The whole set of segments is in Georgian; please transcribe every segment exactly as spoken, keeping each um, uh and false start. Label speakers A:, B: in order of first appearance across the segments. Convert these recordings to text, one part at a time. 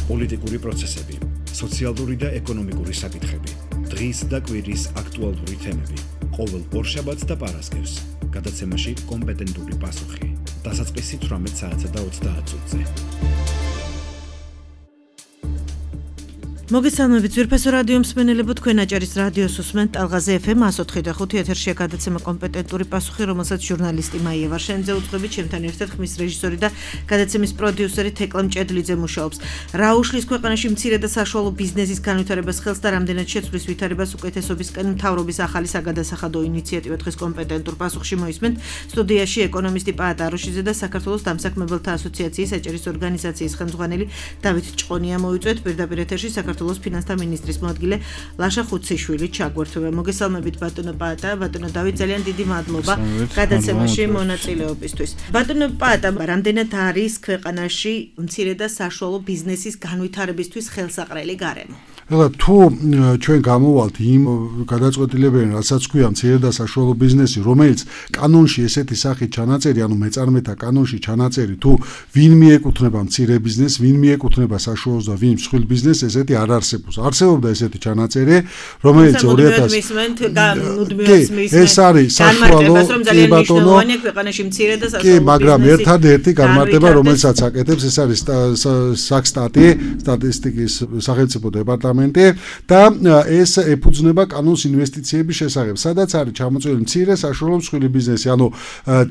A: პოლიტიკური პროცესები, სოციალური და ეკონომიკური საკითხები, დღის და კვირის აქტუალური თემები, ყოველ ორშაბათს და პარასკევს, გადაცემაში კომპეტენტური პასუხი, დასაწყისი თვრამეტ საათსა და ოცდაათ წუთზე.
B: მოგესალმებით ძვირფასო რადიო მსმენელებო, თქვენ აჭარის რადიოს უსმენთ ტალღაზე ეფ ემ εκατო ოთხი და ხუთი ეთერშია გადაცემა კომპეტენტური პასუხი, რომელსაც ჟურნალისტი მაია ვარშენიძე უძღვებით, ჩემთან ერთად ხმის რეჟისორი და გადაცემის პროდიუსერი თეკლა მჭედლიძე მუშაობს. რა უშლის ქვეყანაში მცირე და საშუალო ბიზნესის განვითარებას ხელს და რამდენად შეცვლის ვითარებას უკეთესობისკენ მთავრობის ახალი საგადასახადო ინიციატივა დღეს კომპეტენტურ პასუხში მოისმენთ. სტუდიაში ეკონომისტი პაატ აროშიძე და საქართველოს დამსაქმებელთა ასოციაციის აჭარის ორგანიზაციის ხელმძღვანელი დავით ჭყონია მოიწვევთ. პირდაპირ ეთერში საქართველოს ფინანსთა მინისტრის მოადგილე ლაშა ხუციშვილი ჩაგვერთვება. მოგესალმებით ბატონო პაატა, ბატონო დავით, ძალიან დიდი მადლობა გადაცემაში მონაწილეობისთვის. ბატონო პაატა, რამდენად არის ქვეყანაში მცირე და საშუალო ბიზნესის განვითარებისთვის ხელსაყრელი გარემო?
C: ეხლა თუ ჩვენ გამოვალთ იმ გადაწყვეტილებიდან, რასაც ქვია მცირე და საშუალო ბიზნესი, რომელიც კანონში ესეთი სახით ჩანაწერი, ანუ მეწარმეთა კანონში ჩანაწერი, თუ ვინ მიეკუთვნება მცირე ბიზნესს, ვინ მიეკუთვნება საშუალოს და ვინ მსხვილ ბიზნესს, ესეთი არ არსებობს. არსებობდა ესეთი ჩანაწერი, რომელიც ორი ათას ეს არის საშუალო
B: ბატონო ქვეყანაში მცირე და საშუალო
C: ბიზნესი. კი, მაგრამ ერთადერთი განმარტება, რომელსაც აკეთებს, ეს არის საქსტატი, სტატისტიკის სახელმწიფო დეპარტამენტი და ეს ეფუძნება კანონს ინვესტიციების შესახებ, სადაც არის ჩამოწვეული მცირე საშუალო მსხვილი ბიზნესი, ანუ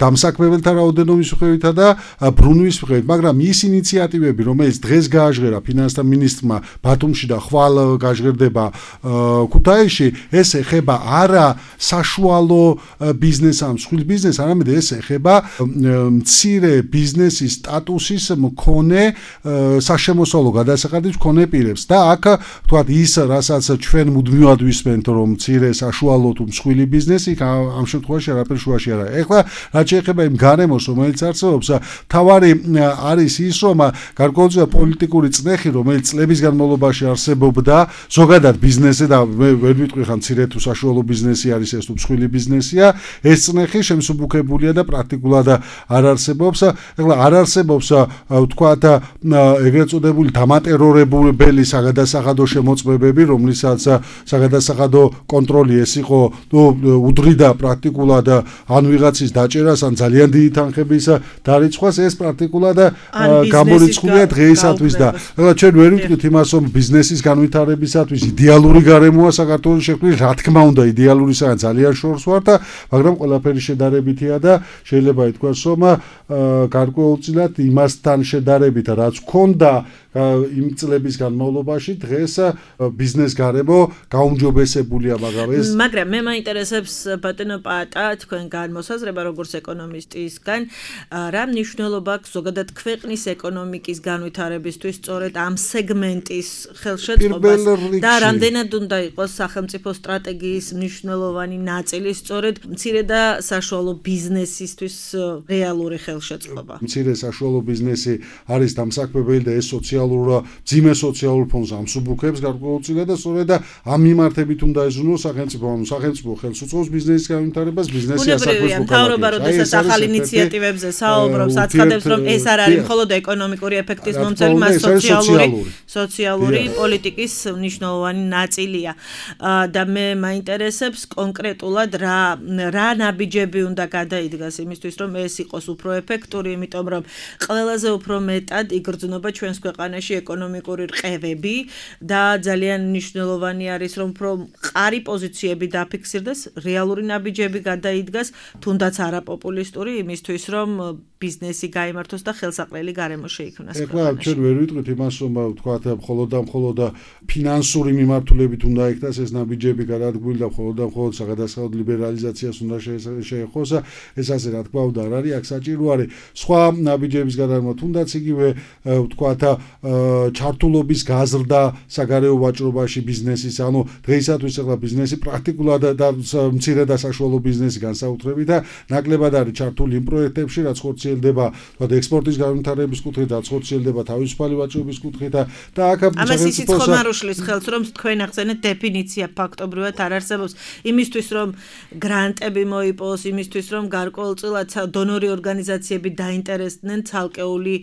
C: დამსაქმებელთა რაოდენობის მიხედვითა და ბრუნვის მიხედვით, მაგრამ ის ინიციატივები, რომელიც დღეს გააჟღერა ფინანსთა მინისტრმა ბათუმში და ხვალ გაჟღერდება ქუთაისში, ეს ეხება არა საშუალო ბიზნესს ან მსხვილ ბიზნესს, არამედ ეს ეხება მცირე ბიზნესის სტატუსის მქონე საშემოსავლო გადასახადის მქონე პირებს და აქ თქვათ ის, რასაც ჩვენ მუდმივად ვისმენთ, რომ მცირე საშუალო თუ მსხვილი ბიზნესი, ამ შემთხვევაში არაფერ შუაში არ არის. ეხლა რაც შეეხება იმ გარემოს, რომელიც არსებობს, თავარი არის ის, რომ გარკვეულწილად პოლიტიკური წნეხი, რომელიც წლების განმავლობაში არსებობდა ზოგადად ბიზნესზე და მე ვერ ვიტყვი ხან მცირე თუ საშუალო ბიზნესი არის ეს თუ მსხვილი ბიზნესია, ეს წნეხი შემსუბუქებულია და პრაქტიკულად არ არსებობს. ეხლა არ არსებობს თქვათ ეგრეთ წოდებული დამატერორებელი საგადასახადო შემოწმებები, რომლისაც საგადასახადო კონტროლი ეს იყო უდრიდა პრაქტიკულად ან ვიღაცის დაჭერას, ან ძალიან დიდი თანხების დარიცხვას, ეს პრაქტიკულად გამორიცხულია დღეისათვის და ეხლა ჩვენ ვერ ვიტყვით იმას, რომ ბიზნესის განვითარებისათვის იდეალური გარემოა საქართველოს შექმნილი, რა თქმა უნდა იდეალურისა ძალიან შორს ვარ და მაგრამ ყველაფერი შედარებითია და შეიძლება ითქვას, რომ გარკვეულწილად იმასთან შედარებით, რაც ჰქონდა იმ წლების განმავლობაში, დღეს ბიზნეს გარემო გაუმჯობესებულია, მაგრამ ეს
B: მაგრამ მე მაინტერესებს ბატონო პაატა, თქვენ განმოსაზრება როგორც ეკონომისტისგან, რა მნიშვნელობა აქვს ზოგადად ქვეყნის ეკონომიკის განვითარებისთვის სწორედ ამ სეგმენტის ხელშეწყობას და რამდენად უნდა იყოს სახელმწიფო სტრატეგიის მნიშვნელოვანი ნაწილი სწორედ მცირე და საშუალო ბიზნესისთვის რეალური ხელშეწყობა.
C: მცირე საშუალო ბიზნესი არის დამსაქმებელი და ეს სოციალურ ძიმე სოციალურ ფონს ამსუბუქებს გარკვეულწილად და სწორედ ამ მიმართებით უნდა ეზრუნოს სახელმწიფო, ანუ სახელმწიფო ხელს უწყობს ბიზნესის განვითარებას, ბიზნესის ასაკის
B: მთავრობა როდესაც ახალ ინიციატივებზე საუბრობს, აცხადებს, რომ ეს არ არის მხოლოდ ეკონომიკური ეფექტის მომცემი, მას სოციალური სოციალური პოლიტიკის მნიშვნელოვანი ნაწილია. და მე მაინტერესებს კონკრეტულად რა რა ნაბიჯები უნდა გადაიდგას იმისთვის, რომ ეს იყოს უფრო ეფექტური, იმიტომ რომ ყველაზე უფრო მეტად იგრძნობა ჩვენს ქვეყანაში ეკონომიკური რყევები და ძალიან მნიშვნელოვანი არის, რომ უფრო მყარი პოზიციები დაფიქსირდეს, რეალური ნაბიჯები გადაიდგას, თუნდაც არაპოპულისტური, იმისთვის, რომ ბიზნესი გაიმართოს და ხელსაყრელი გარემო შეიქმნას.
C: ეხლა ჩვენ ვერ ვიტყვით იმას, რომ თქვათ მხოლოდ და მხოლოდ ფინანსური მიმართულებით უნდა იქნას ეს ნაბიჯები გადადგმული და მხოლოდ და მხოლოდ საგადასახადო ლიბერალიზაციას უნდა შეეხოს. ეს ასე რა თქმა უნდა არ არის, აქ საჭირო არის სხვა ნაბიჯების გადადგმა, თუნდაც იგივე თქვათ ჩართულობის გაზრდა საგარეო ვაჭრობაში ბიზნესის, ანუ დღეისათვის ახლა ბიზნესი პრაქტიკულად და მცირე და საშუალო ბიზნესი განსაკუთრებით და ნაკლებად არის ჩართული იმ პროექტებში, რაც ხორციელდება ექსპორტის განვითარების კუთხით, რაც ხორციელდება თავისუფალი ვაჭრობის კუთხით და აქ
B: ამას ისიც ხომ არ უშლის ხელს, რომ თქვენ ახსენეთ დეფინიცია ფაქტობრივად არ არსებობს იმისთვის, რომ გრანტები მოიპოვოს, იმისთვის, რომ გარკვეულწილად დონორი ორგანიზაციები დაინტერესდნენ ცალკეული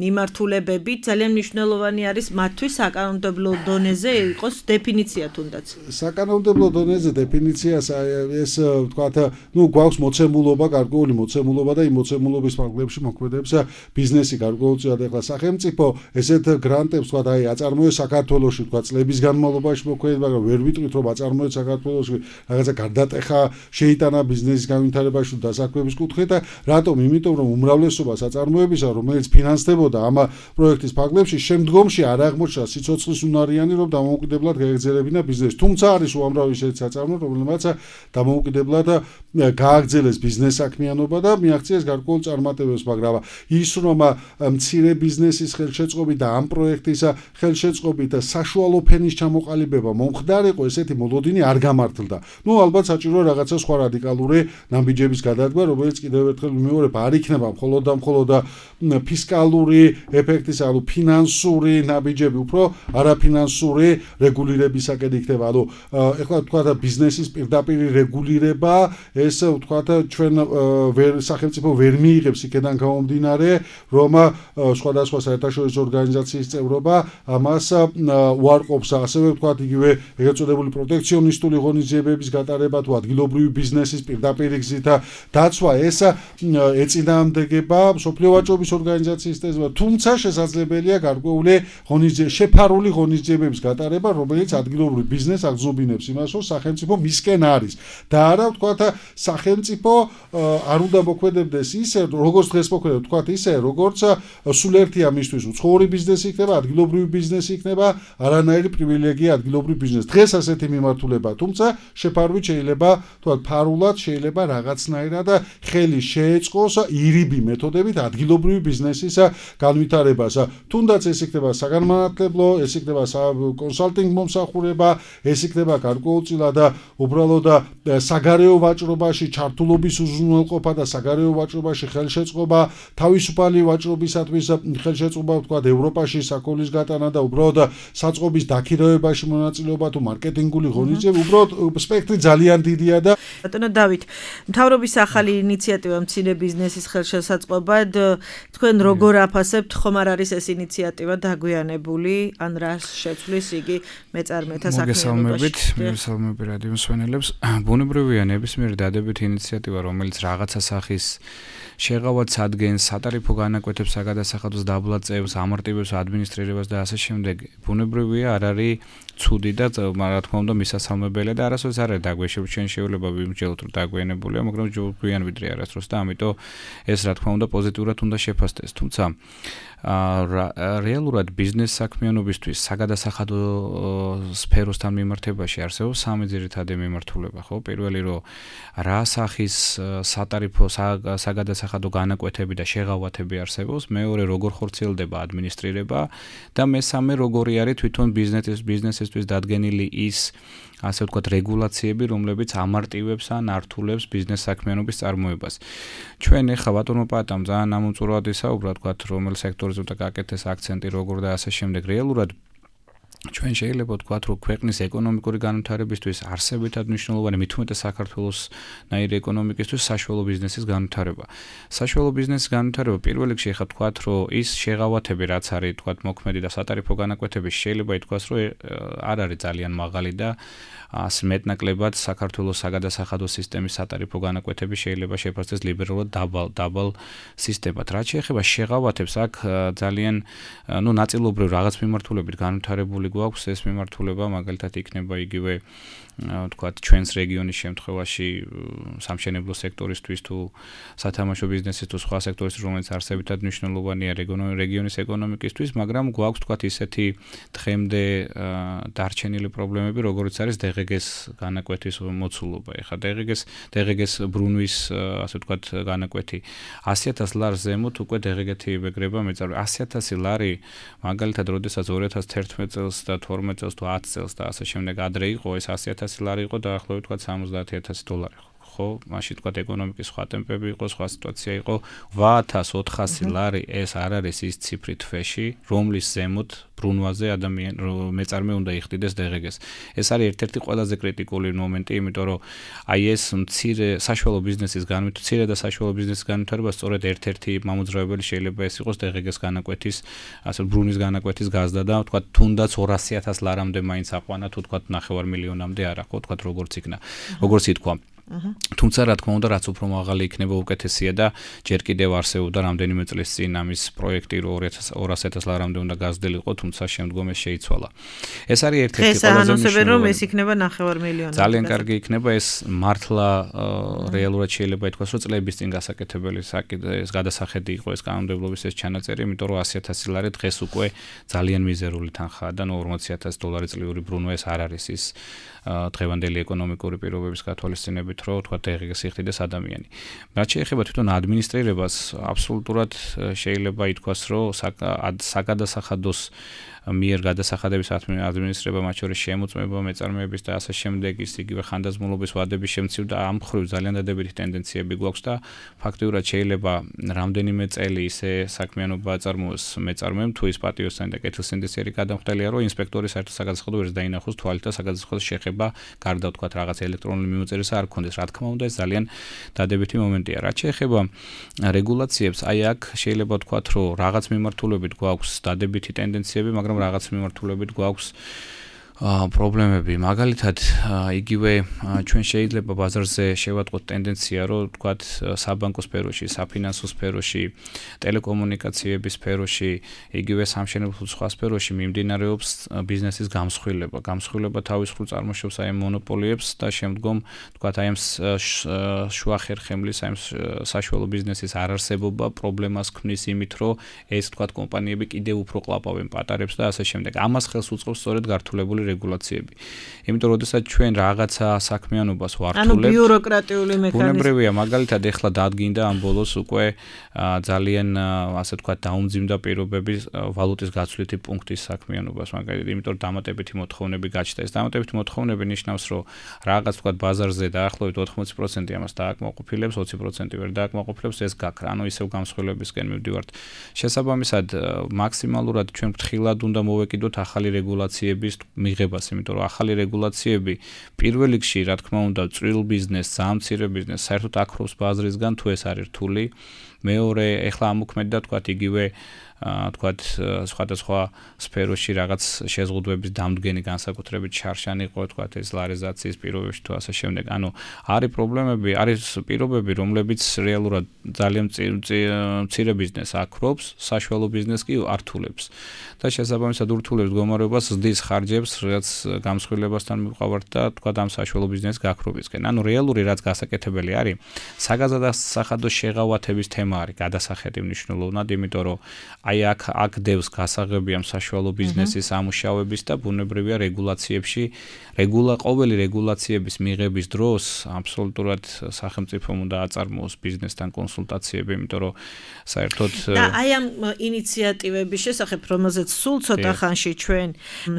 B: მიმართულებები, ძალიან მნიშვნელოვანი არის მათთვის საკანონმდებლო დონეზე იყოს დეფინიცია თუნდაც.
C: საკანონმდებლო დონეზე დეფინიცია ეს ვთქვათ, ну გვაქვს მოცემულობა, გარკვეული მოცემულობა და იმ მოცემულობის ფარგლებში მოქმედებს ბიზნესი გარკვეულწილად ახლა სახელმწიფო ესეთ გრანტებს ვთქვათ, აი აწარმოებს საქართველოში ვთქვათ წლების განმავლობაში მოქმედებს, მაგრამ ვერ ვიტყვით რომ აწარმოებს საქართველოში რაღაცა გარდატეხა შეიტანა ბიზნესის განვითარებაში და დასაქმების კუთხით და რატომ? იმიტომ რომ უმრავლესობა საწარმოებისა, რომელიც ფინანსდებოდა ამ პროექტის ფარგლებში, შემდგომში არ აღმოჩნდა სიცოცხლის უნარიანი, რომ დამოუკიდებლად გაეგრძელებინა ბიზნესი. თუმცა არის უამრავი ისეთი საწარმო, რომელმაც დამოუკიდებლად გააგრძელეს ბიზნეს საქმიანობა და მიაღწიეს გარკვეულ წარმატებებს, მაგრამ ის რომ მცირე ბიზნესის ხელშეწყობით და ამ პროექტის ხელშეწყობით საშუალო ფენის ჩამოყალიბება მომხდარიყო, ესეთი მოლოდინი არ გამართლდა. ნუ ალბათ საჭიროა რაღაცა სხვა რადიკალური ნაბიჯების გადადგმა, რომელიც კიდევ ერთხელ ვიმეორებ, არ იქნება მხოლოდ და მხოლოდ ფისკალური ეფექტის, ანუ ფინანსური ნაბიჯები, უფრო არაფინანსური რეგულირებისაკენ იქნება. ანუ ეხლა ვთქვათ ბიზნესის პირდაპირ რეგულირება, ეს ვთქვათ ჩვენ ვერ სახელმწიფო ვერ მიიღებს იქიდან გამომდინარე, რომ სხვადასხვა საერთაშორისო ორგანიზაციის წევრობა ამას უარყოფს, ასევე ვთქვათ იგივე ეგრეთ წოდებული პროტექციონისტული ღონისძიებების გატარება თუ ადგილობრივი ბიზნესის პირდაპირ გზით დაცვა, ეს ეწინააღმდეგება მსოფლიო ვაჭრობის ორგანიზაციის წესრიგს, თუმცა შესაძლებელია გარკვეული ღონისძიებები, შეფარული ღონისძიებების გატარება, რომელიც ადგილობრივ ბიზნესს აღზრობინებს იმას, რომ სახელმწიფო მისკენ არის და არა ვთქვათ სახელმწიფო არ უნდა მოქმედებდეს ისე, როგორც დღეს მოქმედებს, ვთქვათ ისე, როგორც სულ ერთია მისთვის უცხოური ბიზნესი იქნება, ადგილობრივი ბიზნესი იქნება, არანაირი პრივილეგია ადგილობრივ ბიზნესს. დღეს ასეთი მიმართულება, თუმცა შეფარვით შეიძლება ვთქვათ ფარულად შეიძლება რაღაცნაირად ხელი შეეწყოს ირიბი მეთოდებით ადგილობრივი ბიზნესის განვითარებას. თუნდაც ეს იქნება საგანმანათლებლო, ეს იქნება კონსალტინგ მომსახურება, ეს იქნება გარკვეულწილად უბრალოდ საგარეო ვაჭრობაში ჩართულობის უზრუნველყოფა და საგარეო ვაჭრობაში ხელშეწყობა, თავისუფალი ვაჭრობისათვის ხელშეწყობა, ვთქვათ ევროპაში საქონლის გატანა და უბრალოდ საწყობის დაქირავებაში მონაწილეობა თუ მარკეტინგული ღონისძიებები, უბრალოდ სპექტრი ძალიან დიდია და
B: ბატონო დავით, მთავრობის ახალი ინიციატივა მცირე ბიზნესის ხელშესაწყობად, თქვენ როგორ აფასებთ, ხომ არ არის ეს ინიციატივა დაგვიანებული, ან რას შეცვლის იგი მეწარმეთა საქმიანობაში?
D: მოგესალმებით რადიო მსმენელებს. ბუნებრივია ნებისმიერი დადებითი ინიციატივა, რომელიც რაღაცა სახის შეღავად ადგენს, სატარიფო განაკვეთებს საგადასახადოს დაბლა წევს, ამარტივებს ადმინისტრირებას და ასე შემდეგ. ბუნებრივია არ არის ცუდი და რა თქმა უნდა მისასალმებელია და არასოდეს არ არის დაგვეშებ ჩვენ შეიძლება ვიმსჯელოთ რომ დაგვიანებულია, მაგრამ ჯობია ვიდრე არასდროს და ამიტომ ეს რა თქმა უნდა პოზიტიურად უნდა შეფასდეს. თუმცა რეალურად ბიზნეს საქმიანობისთვის საგადასახადო სფეროსთან მიმართებაში არსებობს სამი ძირითადი მიმართულება, ხო? პირველი რომ რა სახის სატარიფო საგადასახადო განაკვეთები და შეღავათები არსებობს, მეორე როგორ ხორციელდება ადმინისტრირება და მესამე როგორი არის თვითონ ბიზნესის ბიზნესისთვის დადგენილი ის ასე ვთქვათ რეგულაციები, რომლებიც ამარტივებს ან ართულებს ბიზნეს საქმიანობის წარმოებას. ჩვენ ახლა ბატონო პატამ ძალიან ამომწურავად ისაუბრა, ვთქვათ, რომელ სექტორზე უნდა გააკეთეს აქცენტი, როგორ და ასე შემდეგ. რეალურად ჩვენ შეიძლება ვთქვათ, რომ ქვეყნის ეკონომიკური განვითარებისთვის არსებითად მნიშვნელოვანი, მით უმეტეს საქართველოს ნაირი ეკონომიკისთვის საშუალო ბიზნესის განვითარება. საშუალო ბიზნესის განვითარება პირველ რიგში ახლა ვთქვათ, რომ ის შეღავათები, რაც არის ვთქვათ მოქმედი და სატარიფო განაკვეთები, შეიძლება ითქვას, რომ არ არის ძალიან მაღალი და ასე მეტნაკლებად საქართველოს საგადასახადო სისტემის სატარიფო განაკვეთები შეიძლება შეფასდეს ლიბერალურად დაბალ დაბალ სისტემად. რაც შეეხება შეღავათებს, აქ ძალიან ნუ ნაწილობრივ რაღაც მიმართულებით განვითარებული გვაქვს ეს მიმართულება, მაგალითად იქნება იგივე ვთქვათ ჩვენს რეგიონის შემთხვევაში სამშენებლო სექტორისთვის თუ სათამაშო ბიზნესის თუ სხვა სექტორისთვის, რომელიც არსებითად მნიშვნელოვანია რეგიონის ეკონომიკისთვის, მაგრამ გვაქვს ვთქვათ ისეთი დღემდე დარჩენილი პრობლემები, როგორიც არის დე ღე გეს განაკვეთის მოცულობა. ეხლა დე ღე გეს დე ღე გეს ბრუნვის ასე ვთქვათ განაკვეთი ასი ათას ლარს ზემოთ უკვე დე ღე გეთი იბეგრება მეწარმე. ასი ათასი ლარი მაგალითად როდესაც ორი ათას თერთმეტ წელს და თორმეტ წელს თუ ათი წელს და ასე შემდეგ ადრე იყო, ეს ასი ათასი ლარი იყო დაახლოებით ვთქვათ სამოცდაათი ათასი დოლარი. ხო? მაშინ თქვა ეკონომიკის სხვა ტემპები იყო, სხვა სიტუაცია იყო. ოთხ ათას ოთხასი ლარი ეს არ არის ის ციფრი თვეში, რომლის ზემოთ ბრუნვაზე ადამიან მეწარმე უნდა იხდიდეს დე ღე გეს. ეს არის ერთ-ერთი ყველაზე კრიტიკული მომენტი, იმიტომ რომ აი ეს მცირე საშუალო ბიზნესის განვითარება, მცირე და საშუალო ბიზნესის განვითარება სწორედ ერთ-ერთი მამოძრავებელი შეიძლება ეს იყოს დე ღე გეს განაკვეთის, ასე ბრუნის განაკვეთის გაზდა და თქვა თუნდაც ორასი ათას ლარამდე მაინც აყვანა, თუ თქვა ნახევარ მილიონამდე არა, ხო, თქვა როგორც იქნა. როგორც ითქვა. თუმცა რა თქმა უნდა რაც უფრო მაღალი იქნება უკეთესია და ჯერ კიდევ არსებობდა რამდენიმე წლის წინ ამის პროექტი რომ ორასი ათას ლარამდე უნდა გაზრდილიყო, თუმცა შემდგომ ეს შეიცვალა. ეს არის ერთ-ერთი ყველაზე
B: მნიშვნელოვანი რომ ეს იქნება ნახევარ მილიონი.
D: ძალიან კარგი იქნება ეს მართლა რეალურად შეიძლება ითქვას რომ წლების წინ გასაკეთებელი ეს გადასახედი იყო ეს კანონმდებლობის ეს ჩანაწერი, იმიტომ რომ ასი ათასი ლარი დღეს უკვე ძალიან მიზერული თანხაა და ორმოცი ათასი დოლარი წლიური ბრუნვა ეს არ არის ის დღევანდელი ეკონომიკური პირობების გათვალისწინებით რომ თქვა დე ღე გეს იხდიდეს ადამიანი. რაც შეეხება თვითონ ადმინისტრირებას, აბსოლუტურად შეიძლება ითქვას რომ საგადასახადოს მიერ გადასახადების ადმინისტრება მათ შორის შემოწმება მეწარმეების და ასე შემდეგ ის იგივე ხანდაზმულობის ვადების შემცირება და ამ მხრივ ძალიან დადებითი ტენდენციები გვაქვს და ფაქტიურად შეიძლება რამდენიმე წელი ისე საქმიანობა აწარმოოს მეწარმემ თუ ის პატიოსანი და კეთილსინდისიერი გადამხდელია რომ ინსპექტორი საერთოდ საგადასახადო ვერც დაინახოს თვალით და საგადასახადოს შეხება გარდა ვთქვათ რაღაც ელექტრონული მიმოწერისა არ ქონდეს. რა თქმა უნდა ეს ძალიან დადებითი მომენტია. რაც შეეხება რეგულაციებს, აი აქ შეიძლება ვთქვათ რომ რაღაც მიმართულებით გვაქვს დადებითი ტენდენციები, მაგრამ რაღაც მიმართულებით გვაქვს პრობლემები. მაგალითად, იგივე ჩვენ შეიძლება ბაზარზე შევატყოთ ტენდენცია, რომ თქვათ საბანკო სფეროში, საფინანსო სფეროში, ტელეკომუნიკაციების სფეროში, იგივე სამშენებლო სხვა სფეროში მიმდინარეობს ბიზნესის გამსხვილება. გამსხვილება თავის მხრივ წარმოშობს აი მონოპოლიებს და შემდგომ თქვათ აი ამ შუა ხერხემლის, აი საშუალო ბიზნესის არარსებობა პრობლემას ქმნის იმით, რომ ეს თქვათ კომპანიები კიდევ უფრო ყლაპავენ პატარებს და ასე შემდეგ. ამას ხელს უწყობს სწორედ გართულებული რეგულაციები. იმიტომ რომ შესაძ ჩვენ რაღაცა საქმიანობას ვართულებთ.
B: ანუ ბიუროკრატიული მექანიზმი.
D: ბუნებრივია, მაგალითად ეხლა დადგინდა ამ ბოლოს უკვე ძალიან ასე ვთქვათ დაუმძიმდა პირობები ვალუტის გაცვლითი პუნქტის საქმიანობას, მაგალითად, იმიტომ რომ დამატებითი მოთხოვნები გაჩნდა. ეს დამატებითი მოთხოვნები ნიშნავს, რომ რაღაც ვთქვათ ბაზარზე დაახლოებით ოთხმოცი პროცენტი ამას დააკმაყოფილებს, ოცი პროცენტი ვერ დააკმაყოფილებს, ეს გაქრა, ანუ ისევ გამსხვილებისკენ მივდივართ. შესაბამისად, მაქსიმალურად ჩვენ ფრთხილად უნდა მოვეკიდოთ ახალი რეგულაციების მიღებას, იმიტომ რომ ახალი რეგულაციები პირველ რიგში, რა თქმა უნდა, წვრილ ბიზნესს, ძალიან მცირე ბიზნესს საერთოდ აკრავს ბაზრისგან, თუ ეს არის რთული. მეორე, ეხლა ამოქმედდა თქვათ იგივე თქვათ სხვადასხვა სფეროში რაღაც შეზღუდვების დამდგენი განსაკუთრებით შარშანი იყო, თქვათ ეს ლარიზაციის პირობებში თუ ასე შემდეგ. ანუ არის პრობლემები, არის პირობები, რომლებიც რეალურად ძალიან მცირე ბიზნესს აკრობს, საშუალო ბიზნესს კი ართულებს. და შესაბამისად ურთულებს მდგომარეობას, ზრდის ხარჯებს, რაც გამსხვილებასთან მივყავართ და თქვათ ამ საშუალო ბიზნესს გაქრობისკენ. ანუ რეალური რაც გასაკეთებელი არის, საგადასახადო შეღავათების თემა არის გადასახედი მნიშვნელოვნად, იმიტომ რომ აი აქ აქ დევს გასაღები ამ საშუალო ბიზნესის ამუშავების და ბუნებრივია რეგულაციებში, რეგულა ყოველი რეგულაციების მიღების დროს აბსოლუტურად სახელმწიფომ უნდა აწარმოოს ბიზნესთან კონსულტაციები, იმიტომ რომ საერთოდ
B: და აი ამ ინიციატივების შესახებ, რომელზეც სულ ცოტა ხანში ჩვენ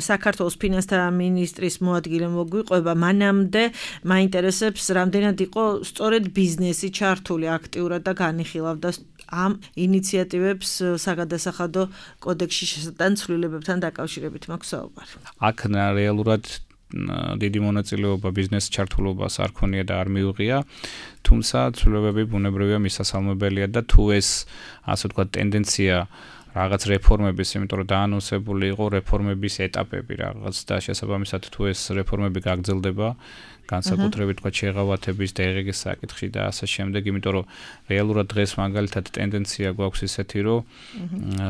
B: საქართველოს ფინანსთა მინისტრის მოადგილე მოგვიყვება, მანამდე მაინტერესებს რამდენად იყო სწორედ ბიზნესი ჩართული აქტიურად და განიხილავდა ამ ინიციატივებს საგადასახადო კოდექსში შესატან ცვლილებებთან დაკავშირებით მაქვს საუბარი.
D: აქ რეალურად დიდი მონაწილეობა ბიზნეს ჩართულობას არ ქონია და არ მიუღია, თუმცა ცვლილებები ბუნებრივია მისასალმებელია და თუ ეს ასე ვთქვათ ტენდენცია რაღაც რეფორმების, იმიტომ რომ დაანონსებული იყო რეფორმების ეტაპები რაღაც და შესაბამისად თუ ეს რეფორმები გაგრძელდება, განსაკუთრებით თქვა შეღავათების დე ღე გეს საკითხში და ასე შემდეგ, იმიტომ რომ რეალურად დღეს მაგალითად ტენდენცია გვაქვს ისეთი, რომ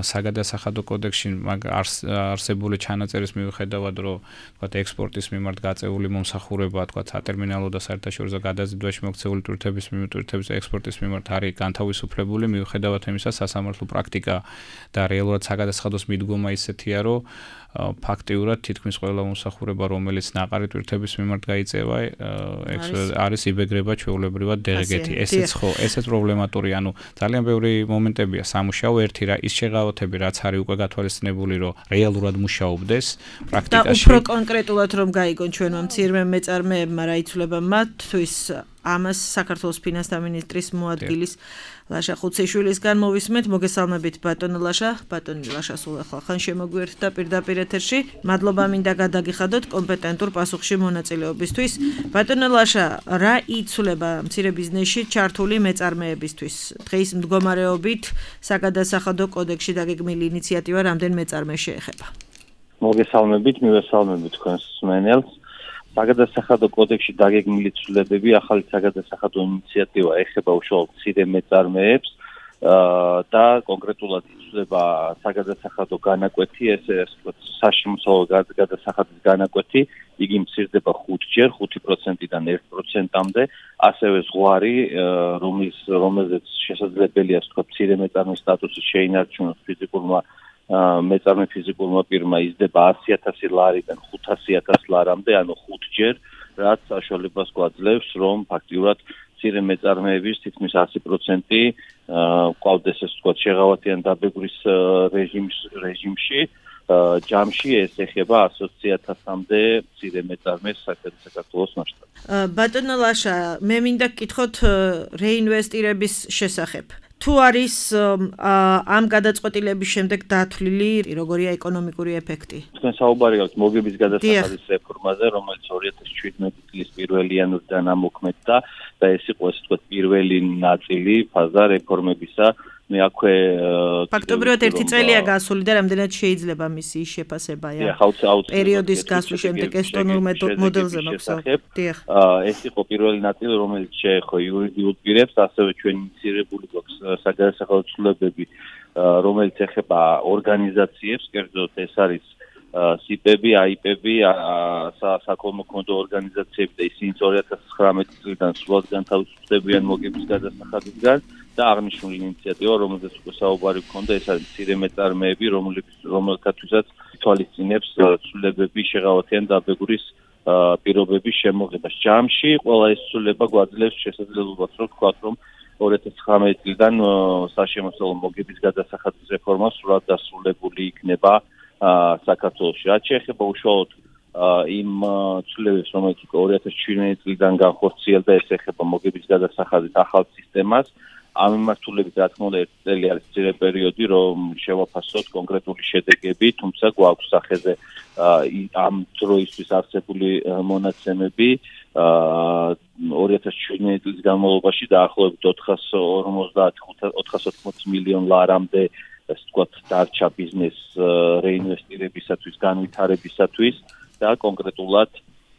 D: საგადასახადო კოდექსში არსებული ჩანაწერის მიუხედავად, რომ თქვა ექსპორტის მიმართ გაწეული მომსახურება, თქვა სატერმინალო და საერთაშორისო გადაზიდვაში მოქცეული ტვირთების მიმართულებით ექსპორტის მიმართ არის განთავისუფლებული, მიუხედავად იმისა, სასამართლო პრაქტიკა და რეალურად საგადასახადოს მიდგომა ისეთია, რომ ფაქტიურად თითქმის ყველა მომსახურება, რომელიც ნაყარი ტვირთების მიმართ გაიწევა, არის იბეგრება ჩვეულებრივად დე ღე გეთი. ესეც ხო, ესეც პრობლემატური, ანუ ძალიან ბევრი მომენტებია სამუშაო, ერთი რა ის შეღავათები, რაც არის უკვე გათვალისწინებული, რომ რეალურად მუშაობდეს პრაქტიკაში.
B: და უფრო კონკრეტულად რომ გაიგონ ჩვენმა მცირე მეწარმეებმა რა იცვლება მათ, თუ ის ამას საქართველოს ფინანსთა მინისტრის მოადგილის ლაშა ხუციშვილისგან მოვისმენთ. მოგესალმებით ბატონო ლაშა. ბატონი ლაშა სულ ახლა ხან შემოგვიერთდა პირდაპირ ეთერში. მადლობა მინდა გადაგიხადოთ კომპეტენტურ პასუხში მონაწილეობისთვის. ბატონო ლაშა, რა იცვლება მცირე ბიზნესში ჩართული მეწარმეებისთვის? დღის მდგომარეობით საგადასახადო კოდექსში დაგეგმილი ინიციატივა რამდენ მეწარმეს შეეხება?
E: მოგესალმებით, მივესალმებით თქვენს მსმენელს. საგადასახადო კოდექსში დაგეგმილი ცვლილებები ახალი საგადასახადო ინიციატივა ეხება უშუალოდ მცირე მეწარმეებს და კონკრეტულად იცვლება საგადასახადო განაკვეთი, ესე ვთქვათ, საშემოსავლო გადასახადის განაკვეთი, იგი მცირდება ხუთჯერ, ხუთი პროცენტიდან ერთ პროცენტამდე, ასევე ზღვარი, რომლის რომელზეც შესაძლებელია ვთქვათ, მცირე მეწარმის სტატუსი შეინარჩუნოს ფიზიკურმა მეწარმე ფიზიკურმა პირმა, იზრდება ასი ათასი ლარიდან ხუთასი ათასი ლარამდე, ანუ ხუთჯერ, რაც საშუალებას გვაძლევს, რომ ფაქტიურად მცირე მეწარმეების თითქმის ასი პროცენტი გვყავდეს ეს ვთქვათ შეღავათიან დაბეგვრის რეჟიმში, ჯამში ეს ეხება ასი ათასამდე მცირე მეწარმეს საქართველოს მასშტაბით.
B: ბატონო ლაშა, მე მინდა გკითხოთ რეინვესტირების შესახებ. თუ არის ამ გადაწყვეტილების შემდეგ დათვლილი როგორია ეკონომიკური ეფექტი?
E: თქვენ საუბარი გაქვთ მოგების გადასახადის რეფორმაზე, რომელიც ორი ათას შვიდმეტი წლის პირველი იანვრიდან ამოქმედდა და ეს იყო ესე ვთქვათ პირველი ნაწილი ფაზა რეფორმებისა. მე აქვე
B: ფაქტობრივად ერთი წელია გასული და რამდენად შეიძლება მისი შეფასება პერიოდის გასვლის შემდეგ ესტონურ მოდელზე მოგსაუბრეთ.
E: ეს იყო პირველი ნაწილი, რომელიც შეეხო იურიდიულ პირებს, ასევე ჩვენ ინიციირებული გვაქვს საგადასახადო ცვლილებები, რომელიც ეხება ორგანიზაციებს, კერძოდ ეს არის სიპები, აიპები, საკოლმოქმედო ორგანიზაციები და ისინიც ორი ათას ცხრამეტი წლიდან სრულად განთავისუფლებიან მოგების გადასახადისგან. და აღნიშნული ინიციატივა, რომელზეც უკვე საუბარი გქონდა, ეს არის მცირე მეწარმეები, რომელთათვისაც თვალისწინებს ცვლილებები შეღავათიან დაბეგვრის პირობების შემოღებას. ჯამში ყველა ეს ცვლილება გვაძლევს შესაძლებლობას, რომ ვთქვათ, რომ ორი ათას ცხრამეტი წლიდან საშემოსავლო მოგების გადასახადის რეფორმა სრულად დასრულებული იქნება საქართველოში. რაც შეეხება უშუალოდ იმ ცვლილებებს, რომელიც უკვე ორი ათას შვიდმეტი წლიდან განხორციელდა, ეს ეხება მოგების გადასახადის ახალ სისტემას. ამ მიმართულებით რა თქმა უნდა ერთი წელი არის ძირე პერიოდი, რომ შევაფასოთ კონკრეტული შედეგები, თუმცა გვაქვს სახეზე ამ დროისთვის არსებული მონაცემები ორი ათას შვიდმეტი წლის განმავლობაში დაახლოებით ოთხას ოცდაათი მილიონ ლარამდე ასე ვთქვათ დარჩა ბიზნეს რეინვესტირებისათვის, განვითარებისათვის და კონკრეტულად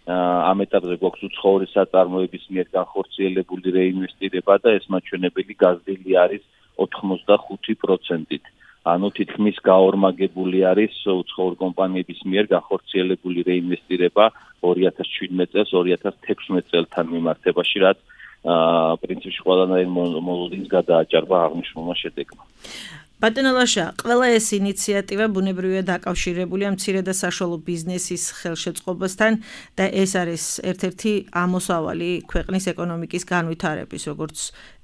E: ამ ეტაპზე გვაქვს უცხოური საწარმოების მიერ განხორციელებული რეინვესტირება და ეს მაჩვენებელი გაზრდილი არის ოთხმოცდახუთი პროცენტით. ანუ თითქმის გაორმაგებული არის უცხოური კომპანიების მიერ განხორციელებული რეინვესტირება ორი ათას შვიდმეტი წელს ორი ათას თექვსმეტი წელთან მიმართებაში, რაც პრინციპში ყველანაირ მოლოდინს გადააჭარბა აღნიშნულმა შედეგმა.
B: ბატონო ლაშა, ყველა ეს ინიციატივა ბუნებრივია დაკავშირებულია მცირე და საშუალო ბიზნესის ხელშეწყობასთან და ეს არის ერთ-ერთი ამოსავალი ქვეყნის ეკონომიკის განვითარების, როგორც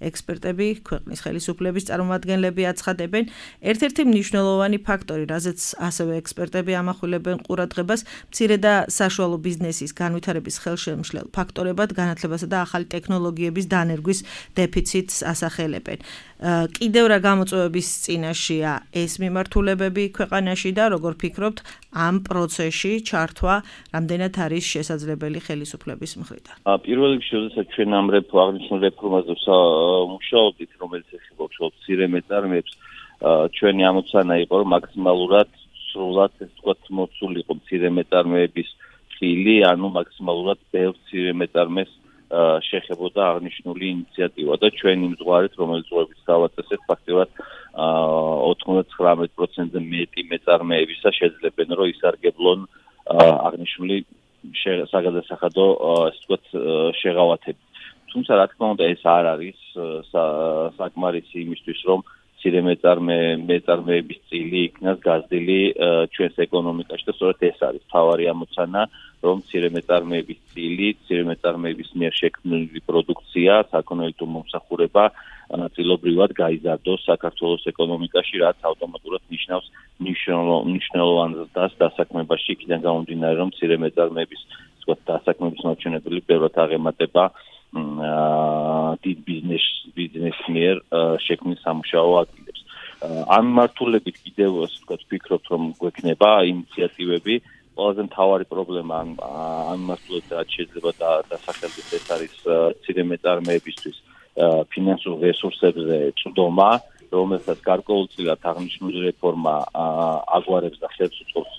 B: ექსპერტები, ქვეყნის ხელისუფლების წარმომადგენლები აცხადებენ. ერთ-ერთი მნიშვნელოვანი ფაქტორი, რაზეც ასევე ექსპერტები ამახვილებენ ყურადღებას, მცირე და საშუალო ბიზნესის განვითარების ხელშემშლელ ფაქტორებად განათლებასა და ახალი ტექნოლოგიების დანერგვის დეფიციტს ასახელებენ. კიდევ რა გამოწვევების წინაშეა ეს მიმართულებები ქვეყანაში და როგორ ფიქრობთ ამ პროცესში ჩართვა რამდენად არის შესაძლებელი ხელისუფლების მხრიდან?
E: პირველ რიგში, როდესაც ჩვენ ამ აღნიშნულ რეფორმაზე ვმუშაობდით, რომელიც ეხება უშუალოდ მცირე მეწარმეებს, ჩვენი ამოცანა იყო, რომ მაქსიმალურად სრულად ეს ვთქვათ მოცულიყო მცირე მეწარმეების ხილი, ანუ მაქსიმალურად ბევრ მცირე მეწარმეს შეეხებოდა აღნიშნული ინიციატივა და ჩვენ იმ ზღვარით, რომელიც ზღვებით გავაწესეთ, ფაქტიურად ოცდათვრამეტი პროცენტზე მეტი მეწარმეებისა შეძლებენ, რომ ისარგებლონ აღნიშნული საგადასახადო ასე ვთქვათ შეღავათებით. თუმცა რა თქმა უნდა ეს არ არის საკმარისი იმისთვის, რომ მცირე მეწარმეების წილი იქნას გაზრდილი ჩვენს ეკონომიკაში და სწორედ ეს არის მთავარი ამოცანა, რომ მცირე მეწარმეების წილი, მცირე მეწარმეების მიერ შექმნილი პროდუქცია, საექონომიკო მომსახურება ნაწილობრივად გაიზარდოს საქართველოს ეკონომიკაში, რაც ავტომატურად ნიშნავს მნიშვნელოვან ზრდას დასაქმებაში, იქიდან გამომდინარე, რომ მცირე მეწარმეების ვთქვათ დასაქმების მაჩვენებელი ბევრად აღემატება დიდ ბიზნეს ბიზნესის მიერ შექმნილ სამუშაო ადგილებს. ამ მიმართულებით კიდევ ასე ვთქვათ ვფიქრობთ რომ გვექნება ინიციატივები. ყველაზე მთავარი პრობლემა ამ ამ მიმართულებით შეიძლება დასახელდეს ეს არის მცირე მეწარმეებისთვის ფინანსურ რესურსებზე წვდომა, რომელსაც გარკვეულწილად აღნიშნული რეფორმა აგვარებს და ხელს უწყობს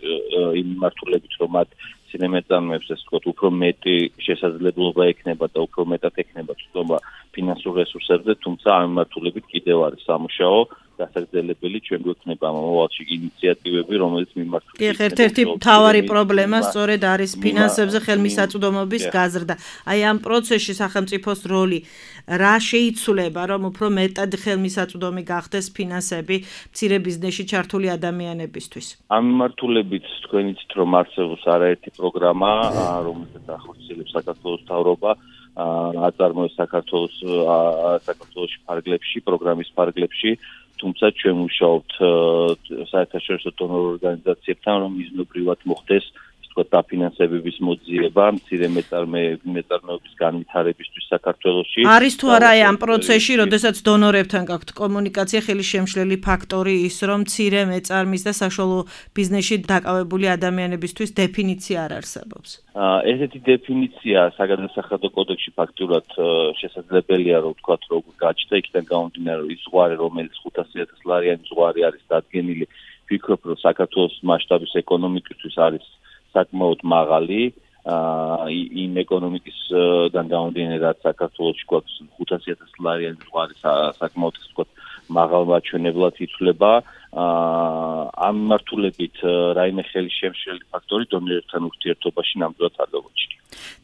E: იმ მიმართულებით, რომ მათ მცირე მეწარმეებს ასე ვთქვათ უფრო მეტი შესაძლებლობა ექნება და უფრო მეტად ექნება წვდომა ფინანსურ რესურსებზე, თუმცა ამ მიმართულებით კიდევ არის სამუშაო დასაგრძელებელი ჩვენ გვექნება მომავალში ინიციატივები, რომელიც მიმართულია.
B: კი, ერთ-ერთი მთავარი პრობლემა სწორედ არის ფინანსებზე ხელმისაწვდომობის გაზრდა. აი ამ პროცესში სახელმწიფოს როლი რა შეიცვლება, რომ უფრო მეტად ხელმისაწვდომი გახდეს ფინანსები მცირე ბიზნესში ჩართული ადამიანებისთვის?
E: ამ მიმართულებით თქვენ იცით, რომ არსებობს არაერთი პროგრამა, რომელსაც ახორციელებს საქართველოს მთავრობა. აწარმოებს საქართველოს საქართველოში ფარგლებში, პროგრამის ფარგლებში, თუმცა ჩვენ ვმუშაობთ საერთაშორისო დონორ ორგანიზაციებთან, რომ მიზნობრივად მოხდეს ვთქვათ დაფინანსებების მოძიება მცირე მეწარმეობის განვითარებისთვის საქართველოში.
B: არის თუ არა ამ პროცესში, როდესაც დონორებთან გაქვთ კომუნიკაცია, ხელი შემშლელი ფაქტორი ის, რომ მცირე მეწარმის და საშუალო ბიზნესში დაკავებული ადამიანებისთვის დეფინიცია არ არსებობს?
E: ესეთი დეფინიცია საგადასახადო კოდექსში ფაქტურად შესაძლებელია, რომ ვთქვათ, როგორ გაჩნდა, იქიდან გამომდინარე, ის ზღვარი, რომელიც ხუთასი ათას ლარიანი ზღვარი არის დადგენილი, ვფიქრობ, რომ საქართველოს მასშტაბის ეკონომიკისთვის არის საკმაოდ მაღალი, იმ ეკონომიკისგან გამომდინარე, რაც საქართველოში გვაქვს ხუთასი ათას ლარიანი ზღვარი საკმაოდ ვთქვათ, მაღალ მაჩვენებლად ითვლება. ამ მიმართულებით რაიმე ხელშემშლელი ფაქტორი დონორებთან ურთიერთობაში ნამდვილად არ გამოჩნდა.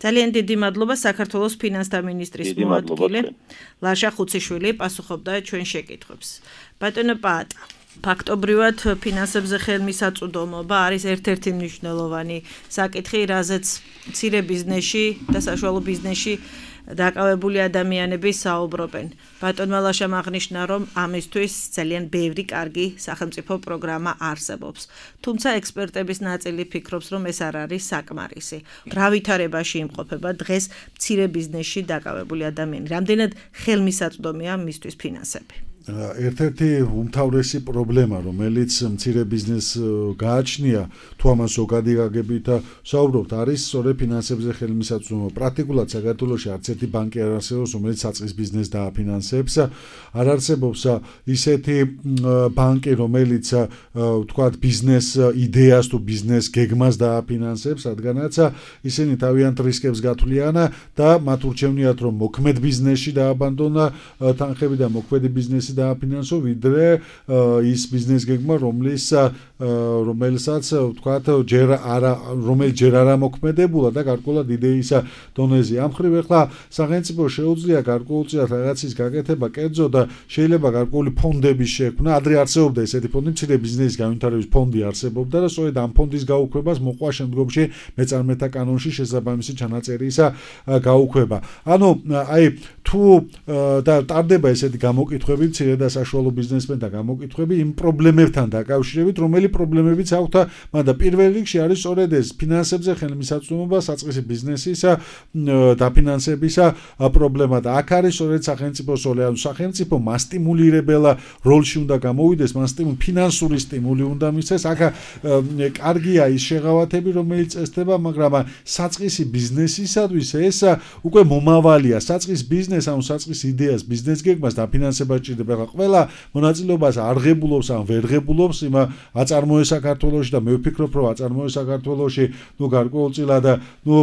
B: ძალიან დიდი მადლობა საქართველოს ფინანსთა მინისტრის მოადგილე ლაშა ხუციშვილი პასუხობდა ჩვენ შეკითხვებს. ბატონო პაატა, ფაქტობრივად ფინანსებზე ხელმისაწვდომობა არის ერთ-ერთი მნიშვნელოვანი საკითხი, რაზეც მცირე ბიზნესში და საშუალო ბიზნესში დაკავებული ადამიანები საუბრობენ. ბატონმა ლაშამ აღნიშნა, რომ ამისთვის ძალიან ბევრი კარგი სახელმწიფო პროგრამა არსებობს. თუმცა ექსპერტების ნაწილი ფიქრობს, რომ ეს არ არის საკმარისი. რა ვითარებაში იმყოფება დღეს მცირე ბიზნესში დაკავებული ადამიანი? რამდენად ხელმისაწვდომია მისთვის ფინანსები?
C: ერთ-ერთი უმთავრესი პრობლემა, რომელიც მცირე ბიზნესს გააჩნია, თუ ამას ზოგადი გაგებით საუბრობთ, არის სწორედ ფინანსებზე ხელმისაწვდომობა. პრაქტიკულად საქართველოში არც ერთი ბანკი არ არსებობს, რომელიც საწყის ბიზნესს დააფინანსებს. არ არსებობს ისეთი ბანკი, რომელიც ვთქვათ ბიზნეს იდეას თუ ბიზნეს გეგმას დააფინანსებს, რადგანაც ისინი თავიანთ რისკებს გათვლიან და მათ ურჩევნიათ, რომ მოქმედ ბიზნესში დააბანდონ თანხები და მოქმედი ბიზნესი დააფინანსო, ვიდრე ის ბიზნეს გეგმა, რომლის რომელსაც ვთქვათ ჯერ არა რომელიც ჯერ არა მოქმედებულა და გარკვეულად იდეის დონეზე. ამ მხრივ ახლა სახელმწიფო შეუძლია გარკვეულწილად რაღაცის გაკეთება, კერძო და შეიძლება გარკვეული ფონდების შექმნა. ადრე არსებობდა ესეთი ფონდი, მცირე ბიზნესის განვითარების ფონდი არსებობდა და სწორედ ამ ფონდის გაუქმებას მოყვა შემდგომში მეწარმეთა კანონში შესაბამისი ჩანაწერის გაუქმება. ანუ აი თუ და ტარდება ესეთი გამოკითხვები მცირე და საშუალო ბიზნესმენთა გამოკითხვები იმ პრობლემებთან დაკავშირებით, რომელი პრობლემებიც აქვთ, მაგრამ პირველ რიგში არის სწორედ ეს ფინანსებზე ხელმისაწვდომობა, საწყისი ბიზნესის დაფინანსების პრობლემა და აქ არის სწორედ სახელმწიფოს როლი. ანუ სახელმწიფო მასტიმულირებელ როლში უნდა გამოვიდეს, მასტიმულ ფინანსური სტიმული უნდა მისცეს. აქ კარგია ის შეღავათები, რომელიც წესდება, მაგრამ საწყისი ბიზნესისათვის ეს უკვე მომავალია. საწყის ბიზნეს, ანუ საწყის იდეას, ბიზნეს გეგმას დაფინანსება ჭირდება. ყველა მონაწილეობას არ ღებულობს ან ვერ ღებულობს იმ აწარმოე საქართველოში და მე ვფიქრობ, რომ აწარმოე საქართველოში ნუ გარკვეულწილად ნუ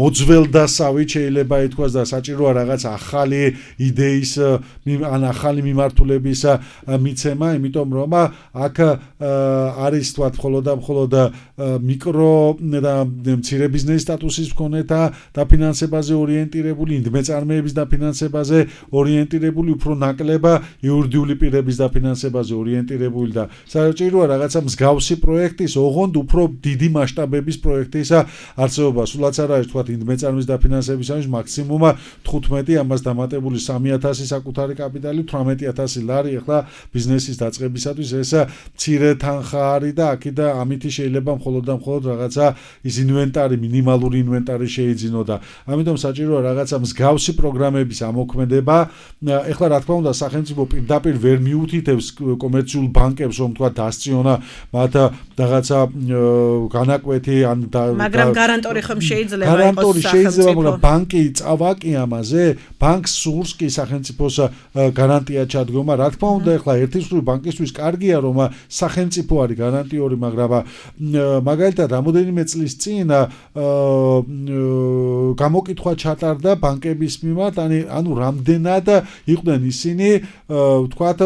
C: მოძველდასავით შეიძლება ითქვას და საჭიროა რაღაც ახალი იდეის ან ახალი მიმართულების მიცემა, იმიტომ რომ აქ არის თქვათ მხოლოდ და მხოლოდ მიკრო და მცირე ბიზნესის სტატუსის მქონეთა დაფინანსებაზე ორიენტირებული, მეწარმეების დაფინანსებაზე ორიენტირებული, უფრო ნაკლება იურიდიული პირების დაფინანსებაზე ორიენტირებული და საჭიროა საჭიროა რაღაცა მსგავსი პროექტის, ოღონდ უფრო დიდი მასშტაბების პროექტის არსებობა. სულაც არ არის თქვა ინდმეწარმის დაფინანსებისათვის მაქსიმუმ თხუთმეტი ამას დამატებული სამი ათასი საკუთარი კაპიტალი, თვრამეტი ათასი ლარი ახლა ბიზნესის დაწყებისათვის ეს მცირე თანხა არის და აქიდა ამით შეიძლება მხოლოდ და მხოლოდ რაღაცა ის ინვენტარი, მინიმალური ინვენტარი შეიძინო და ამიტომ საჭიროა რაღაცა მსგავსი პროგრამების ამოქმედება. ეხლა რა თქმა უნდა სახელმწიფო პირდაპირ ვერ მიუთითებს კომერციულ ბანკებს რომ თქვა დასწიონა მათ რაღაცა განაკვეთი ან
B: მაგრამ გარანტორი ხომ შეიძლება იყოს
C: გარანტორი შეიძლება მაგრამ ბანკი წავაკი ამაზე ბანკს სურს კი სახელმწიფოს გარანტია ჩადგომა რა თქმა უნდა ეხლა ერთის მხრივ ბანკისთვის კარგია რომ სახელმწიფო არის გარანტიორი მაგრამ მაგალითად რამოდენიმე წლის წინ გამოკითხვა ჩატარდა ბანკების მიმართ ანუ რამდენად იყვნენ ისინი ვთქვათ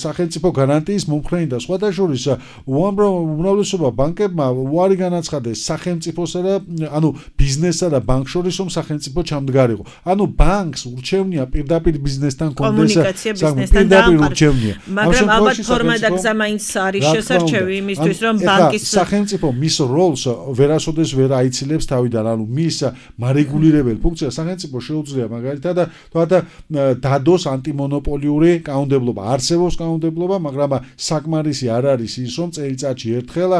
C: სახელმწიფო გარანტიის მომხრენი და სხვათა შორის უმრავლესობა ბანკებმა უარი განაცხადეს სახელმწიფოსა და ანუ ბიზნესსა და ბანკ შორის რომ სახელმწიფო ჩამდგარიყო. ანუ ბანკს ურჩევნია პირდაპირ ბიზნესთან კონდეს პირდაპირ ურჩევნია.
B: მაგრამ ალბათ ფორმა და გზა მაინც არის შესარჩევი იმისთვის რომ ბანკის
C: სახელმწიფო მის როლს ვერასოდეს ვერ აიცილებს თავიდან. ანუ მის მარეგულირებელ ფუნქციას სახელმწიფო შეუძლია მაგალითად თქვათ დადოს ანტიმონოპოლიური კანონმდებლობა. არსებობს კანონმდებლობა, მაგრამ საკმარისი არ არის ის რომ წელიწადში ერთხელ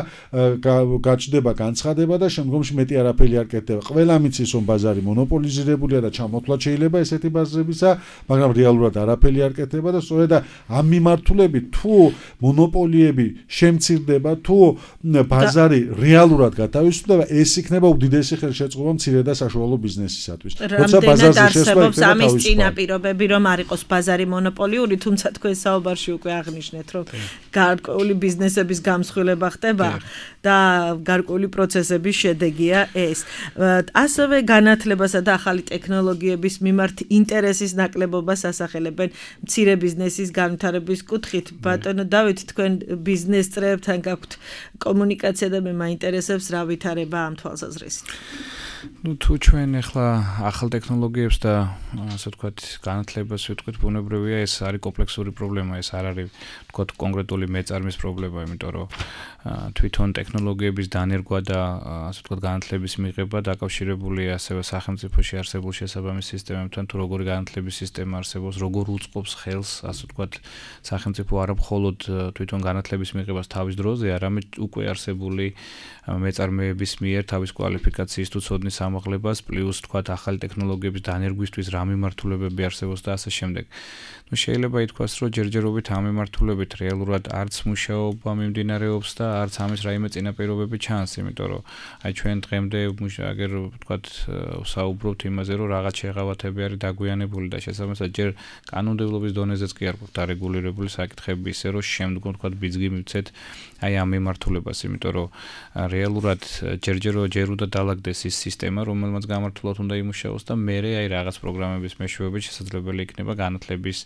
C: გაჩნდება განცხადება და შემდგომში მეტი არაფერი არ კეთდება. ყველა მიცის რომ ბაზარი მონოპოლიზირებულია და ჩამოთვლა შეიძლება ესეთი ბაზრებისა, მაგრამ რეალურად არაფერი არ კეთდება და სწორედ ამ მიმართულებით თუ მონოპოლიები შემცირდება, თუ ბაზარი რეალურად გათავისუფლდება, ეს იქნება უდიდესი ხელშეწყობა მცირე და საშუალო ბიზნესისათვის.
B: როცა ბაზარზე შესვლა იქნება ამის წინაპირობები რომ არ იყოს ბაზარი მონოპოლიური, თუმცა თქვენ საუბარში უკვე აღნიშნეთ, რომ გარკვეული ბიზნესების გამსხვილება ხდება და გარკვეული პროცესების შედეგია ეს. ასევე განათლებასა და ახალი ტექნოლოგიების მიმართ ინტერესის ნაკლებობას ასახელებენ მცირე ბიზნესის განვითარების კუთხით. ბატონო დავით, თქვენ ბიზნეს წრეებთან გაქვთ კომუნიკაცია და მე მაინტერესებს რა ვითარება ამ თვალსაზრისით.
D: ну თუ ჩვენ ახლა ახალ ტექნოლოგიებს და ასე ვთქვათ განათლებას ვიტყვით ბუნებრივია ეს არის კომპლექსური პრობლემა ეს არ არის ვთქვათ კონკრეტული მეწარმის პრობლემა იმიტომ რომ თვითონ ტექნოლოგიების დანერგვა და ასე ვთქვათ განათლების მიღება დაკავშირებულია ასევე სახელმწიფოში არსებულ შესაბამის სისტემებთან თუ როგორი განათლების სისტემა არსებობს როგორ უწყობს ხელს ასე ვთქვათ სახელმწიფო არა მხოლოდ თვითონ განათლების მიღებას თავის დროზე არამედ უკვე არსებული მეწარმეების მიერ თავის კვალიფიკაციის თუ ცოდნის ამაღლებას პლუს თქვათ ახალი ტექნოლოგიების დანერგვისთვის რა მიმართულებები არსებობს და ასე შემდეგ. ну შეიძლება ითქვას რომ ჯერჯერობით ამ მიმართულებით რეალურად არც მუშაობა მიმდინარეობს და არც ამის რაიმე წინაპირობები ჩანს, იმიტომ რომ აი ჩვენ დღემდე აგერ ვთქვათ საუბრობთ იმაზე რომ რაღაც შეღავათები არის დაგვიანებული და შესაბამისად ჯერ კანონმდებლობის დონეზეც კი არ გვაქვს დარეგულირებული საკითხები ისე რომ შემდგომ ვთქვათ ბიძგი მივცეთ აი ამ მიმართულებას, იმიტომ რომ რეალურად ჯერჯერო ჯერუდა დაალაგდეს ის სისტემა, რომელმაც გამართულად უნდა იმუშაოს და მე აი რაღაც პროგრამების მეშვეობით შესაძლებელი იქნება განათლების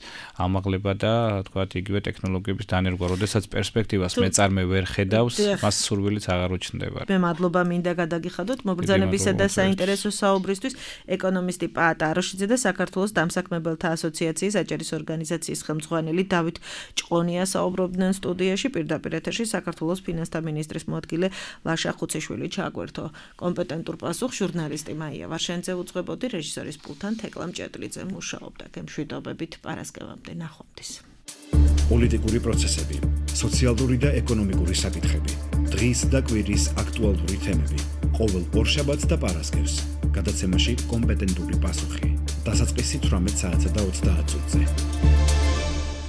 D: ამაღლება და თქვათ იგივე ტექნოლოგიების დანერგვა, როდესაც პერსპექტივას მეწარმე ვერ ხედავს, მას სურვილიც აღარ უჩნდება.
B: მე მადლობა მინდა გადაგიხადოთ მობრძანებისა და საინტერესო საუბრისთვის ეკონომისტი პაატ აროშიძე და საქართველოს დამსაქმებელთა ასოციაციის აჭარის ორგანიზაციის ხელმძღვანელი დავით ჭყონია საუბრობდნენ სტუდიაში პირდაპირ ეთერში საქართველოს ფინანსთა მინისტრის მოადგილე ლაშა ხუციშვილი ჩაგვერთო კომპეტენტურ პასუხს ჟურნალისტი მაია ვარშენძე უძღვებოდი რეჟისორის პულთან თეკლა მჭედლიძე მუშაობდა გემშვიდობებით პარასკევამდე ნახვამდის.
A: პოლიტიკური პროცესები, სოციალური და ეკონომიკური საკითხები, დღის და კვირის აქტუალური თემები, ყოველ ორშაბათს და პარასკევს, გადაცემაში კომპეტენტური პასუხი. დასაწყისი თვრამეტ საათსა და ოცდაათ წუთზე.